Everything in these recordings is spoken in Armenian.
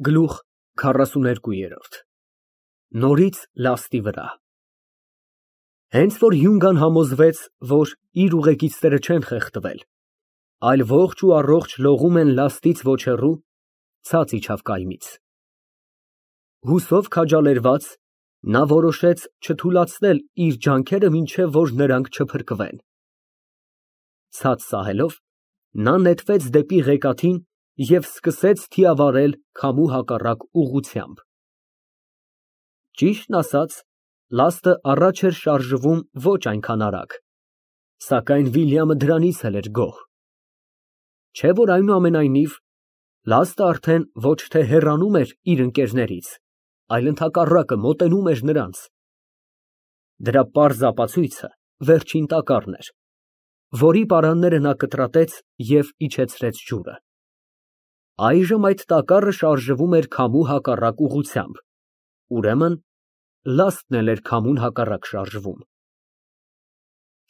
Գլուխ 42 Նորից լաստի վրա Հենց որ Հյունգան համոզվեց, որ իր ուղեկիցները չեն խեղդվել, այլ ողջ ու առողջ լողում են լաստից ոչ հեռու, ցած իջավ կայմից։ Հուսով քաջալերված, նա որոշեց չթուլացնել իր ջանքերը, մինչև որ նրանք չփրկվեն։ Ցած սահելով, նա նետվեց դեպի ղեկաթին և սկսեց թիավարել քամու հակառակ ուղղությամբ։ Ճիշտն ասած, լաստը առաջ էր շարժվում ոչ այնքան արագ, սակայն Վիլյամը դրանից էլ էր գոհ։ Չէ՞ որ այնուամենայնիվ, լաստը արդեն ոչ թե հեռանում էր իր ընկերներից, այլ ընդհակառակը մոտենում էր նրանց։ Դրա պարզ ապացույցը վերջին տակառն էր, որի պարանները նա կտրատեց և իջեցրեց ջուրը։ Այժմ այդ տակառը շարժվում էր քամու հակառակ ուղղությամբ, ուրեմն լաստն էլ էր քամուն հակառակ շարժվում։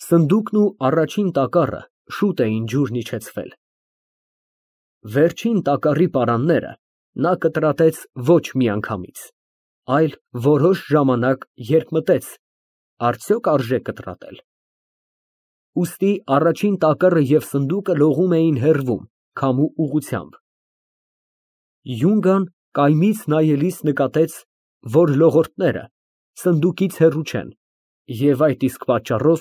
Սնդուկն ու առաջին տակառը շուտ էին ջուրն իջեցվել։ Վերջին տակառի պարանները նա կտրատեց ոչ միանգամից, այլ որոշ ժամանակ, երբ մտեց, արդյոք արժե կտրատել։ Ուստի առաջին տակառը և սնդուկը լողում էին հեռվում, քամու ուղղությամբ։ Հյունգան կայմից նայելիս նկատեց, որ լողորդները սնդուկից հեռու չեն և այդ իսկ պատճառով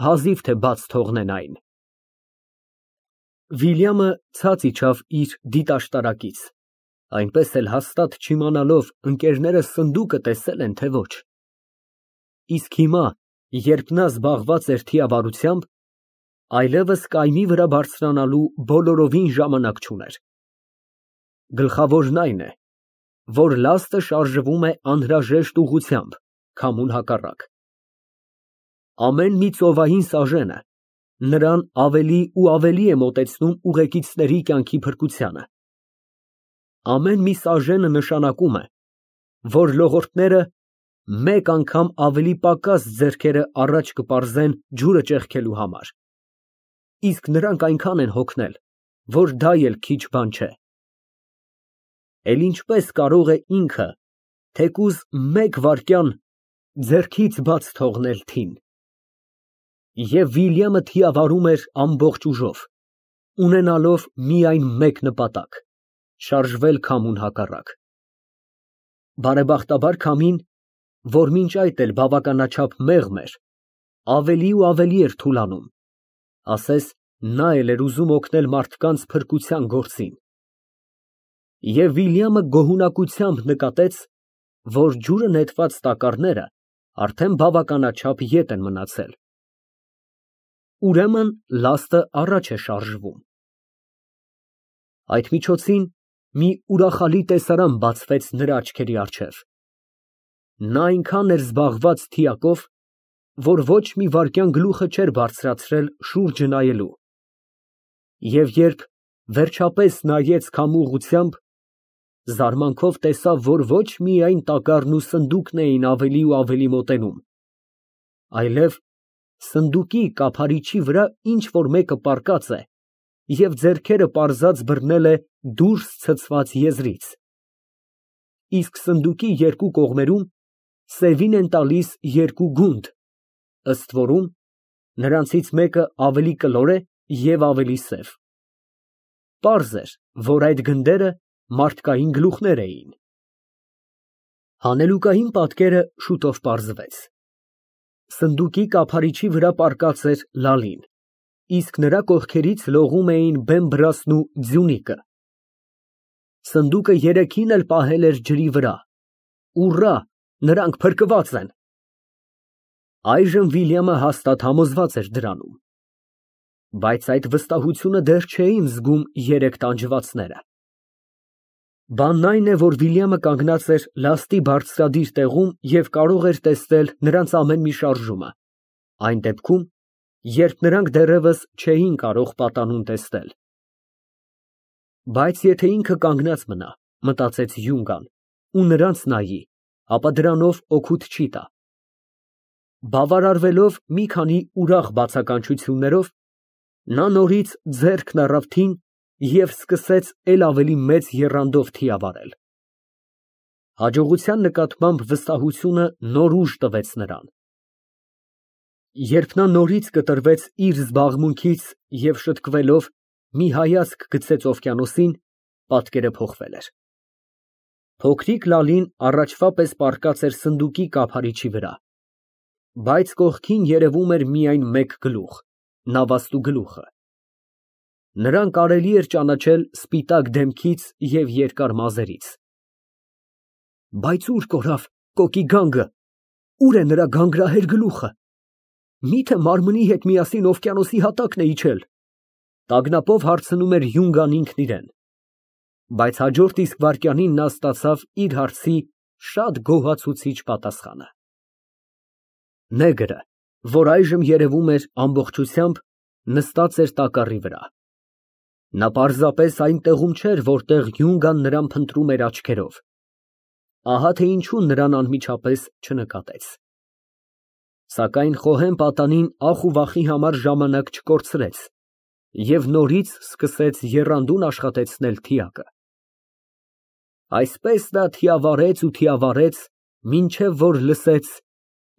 հազիվ թե բաց թողնեն այն։ Վիլյամը ցած իջավ իր դիտաշտարակից, այնպես էլ հաստատ չիմանալով ընկերները սնդուկը տեսել են, թե ոչ։ Իսկ հիմա, երբ նա զբաղված էր թիավարությամբ, այլևս կայմի վրա բարձրանալու բոլորովին ժամանակ չուներ։ Գլխավորն այն է, որ լաստը շարժվում է անհրաժեշտ ուղղությամբ, քամուն հակառակ։ Ամեն մի ծովային սաժենը նրան ավելի ու ավելի է մոտեցնում ուղեկիցների կյանքի փրկությանը։ Ամեն մի սաժենը նշանակում է, որ լողորդները մեկ անգամ ավելի պակաս ձեռքերը առաջ կպարզեն ջուրը ճեղքելու համար, իսկ նրանք այնքան են հոգնել, որ դա էլ քիչ բան չէ։ Էլ ինչպես կարող է ինքը թեկուզ մեկ վայրկյան ձեռքից բաց թողնել թին։ Եվ Վիլյամը թիավարում էր ամբողջ ուժով, ունենալով միայն մեկ նպատակ՝ շարժվել քամուն հակառակ։ Բարեբախտաբար քամին, որ մինչ այդ էլ բավականաչափ մեղմ էր, ավելի ու ավելի էր թուլանում, ասես նա էլ էր ուզում օգնել մարդկանց փրկության գործին։ Եվ Վիլյամը գոհունակությամբ նկատեց, որ ջուրը նետված տակառները արդեն բավականաչափ ետ են մնացել։ Ուրեմն լաստը առաջ է շարժվում։ Այդ միջոցին մի ուրախալի տեսարան բացվեց նրա աչքերի առջև։ Նա այնքան էր զբաղված թիակով, որ ոչ մի վայրկյան գլուխը չէր բարձրացրել շուրջը նայելու։ Եվ երբ վերջապես նայեց քամու ուղղությամբ, զարմանքով տեսավ, որ ոչ միայն տակառն ու սնդուկն էին ավելի ու ավելի մոտենում, այլև սնդուկի կափարիչի վրա ինչ֊որ մեկը պառկած է և ձեռքերը պարզած բռնել է դուրս ցցված եզրից, իսկ սնդուկի երկու կողմերում սևին են տալիս երկու գունդ, ըստ որում նրանցից մեկը ավելի կլոր է և ավելի սև։ Պարզ էր, որ այդ գնդերը մարդկային գլուխներ էին։ Հանելուկային պատկերը շուտով պարզվեց։ Սնդուկի կափարիչի վրա պառկած էր Լալին, իսկ նրա կողքերից լողում էին Բեմբրասն ու Ձյունիկը։ Սնդուկը երեքին էլ պահել էր ջրի վրա։ Ուռա, նրանք փրկված են։ Այժմ Վիլյամը հաստատ համոզված էր դրանում։ Բայց այդ վստահությունը դեռ չէին զգում երեք տանջվածները։ Բանն այն է, որ Վիլյամը կանգնած էր լաստի բարձրադիր տեղում և կարող էր տեսնել նրանց ամեն մի շարժումը, այն դեպքում, երբ նրանք դեռևս չէին կարող պատանուն տեսնել։ Բայց եթե ինքը կանգնած մնա, մտածեց Հյունգան, ու նրանց նայի, ապա դրանով օգուտ չի տա։ Բավարարվելով մի քանի ուրախ բացականչություններով, նա նորից ձեռքն առավ թին և սկսեց էլ ավելի մեծ եռանդով թիավարել։ Հաջողության նկատմամբ վստահությունը նոր ուժ տվեց նրան։ Երբ նա նորից կտրվեց իր զբաղմունքից և շտկվելով մի հայացք գցեց օվկիանոսին, պատկերը փոխվել էր։ Փոքրիկ Լալին առաջվա պես պառկած էր սնդուկի կափարիչի վրա, բայց կողքին երևում էր միայն մեկ գլուխ, նավաստու գլուխը։ Նրան կարելի էր ճանաչել սպիտակ դեմքից և երկար մազերից։ Բայց ուր կորավ կոկի գանգը, ուր է նրա գանգրահեր գլուխը, միթե մարմնի հետ միասին օվկիանոսի հատակն է իջել, տագնապով հարցնում էր Յունգան ինքն իրեն, բայց հաջորդ իսկ վայրկյանին նա ստացավ իր հարցի շատ գոհացուցիչ պատասխանը։ Նեգրը, որ այժմ երևում էր ամբողջությամբ, նստած էր տակառի վրա։ Նա պարզապես այն տեղում չէր, որտեղ Յունգան նրան փնտրում էր աչքերով։ Ահա թե ինչու նրան անմիջապես չնկատեց։ Սակայն խոհեմ պատանին ախ ու վախի համար ժամանակ չկորցրեց և նորից սկսեց եռանդուն աշխատեցնել թիակը։ Այսպես նա թիավարեց ու թիավարեց, մինչև որ լսեց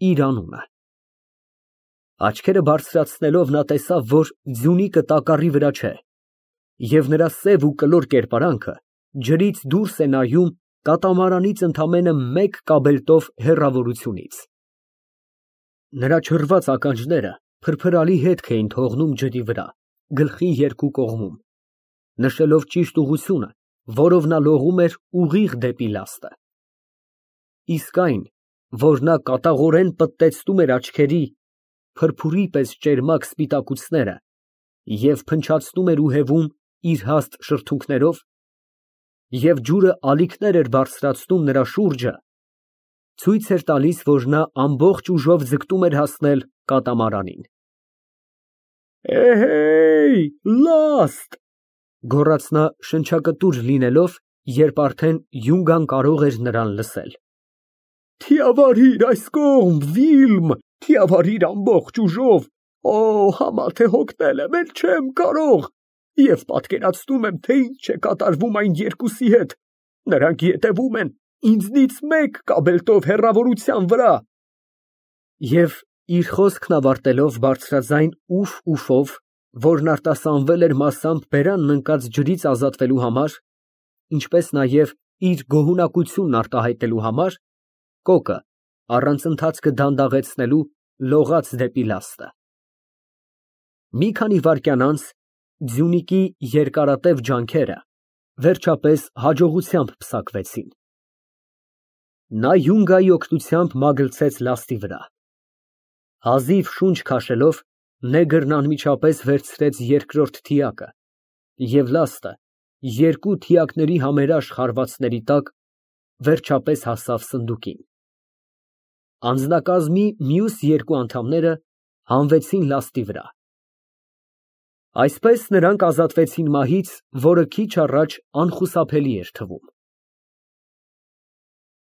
իր անունը։ Աչքերը բարձրացնելով նա տեսավ, որ ձյունիկը տակառի վրա չէ, և նրա սև ու կլոր կերպարանքը ջրից դուրս է նայում կատամարանից ընդամենը մեկ կաբելտով հեռավորությունից։ Նրա չռված ականջները փրփրալի հետք էին թողնում ջրի վրա, գլխի երկու կողմում, նշելով ճիշտ ուղղությունը, որով նա լողում էր ուղիղ դեպի լաստը։ Իսկ այն, որ նա կատաղորեն պտտեցնում էր աչքերի, փրփուրի պես ճերմակ սպիտակուցները և փնչացնում էր ու հևում իր հաստ շրթունքներով, և ջուրը ալիքներ էր բարձրացնում նրա շուրջը, ցույց էր տալիս, որ նա ամբողջ ուժով ձգտում էր հասնել կատամարանին։ «Էհեյ, լաստ», գոռաց նա շնչակտուր լինելով, երբ արդեն Յունգան կարող էր նրան լսել։ «Թիավարիր այս կողմ, Վիլմ, թիավարիր ամբողջ ուժով, օ, համա թե հոգնել եմ, էլ չեմ կարող, և պատկերացնում եմ, թե ինչ է կատարվում այն երկուսի հետ, նրանք ետևում են ինձնից մեկ կաբելտով հեռավորության վրա»։ Եվ իր խոսքն ավարտելով բարձրաձայն ուֆ֊ուֆով, որն արտասանվել էր մասամբ բերանն ընկած ջրից ազատվելու համար, ինչպես նաև իր գոհունակությունն արտահայտելու համար, կոկը առանց ընթացքը դանդաղեցնելու լողաց դեպի լաստը։ Մի քանի վայրկյան անց ձյունիկի երկարատև ջանքերը վերջապես հաջողությամբ պսակվեցին։ Նա Յունգայի օգնությամբ մագլցեց լաստի վրա։ Հազիվ շունչ քաշելով, նեգրն անմիջապես վերցրեց երկրորդ թիակը, և լաստը երկու թիակների համերաշխ հարվածների տակ վերջապես հասավ սնդուկին։ Անձնակազմի մյուս երկու անդամները հանվեցին լաստի վրա։ Այսպես նրանք ազատվեցին մահից, որը քիչ առաջ անխուսափելի էր թվում։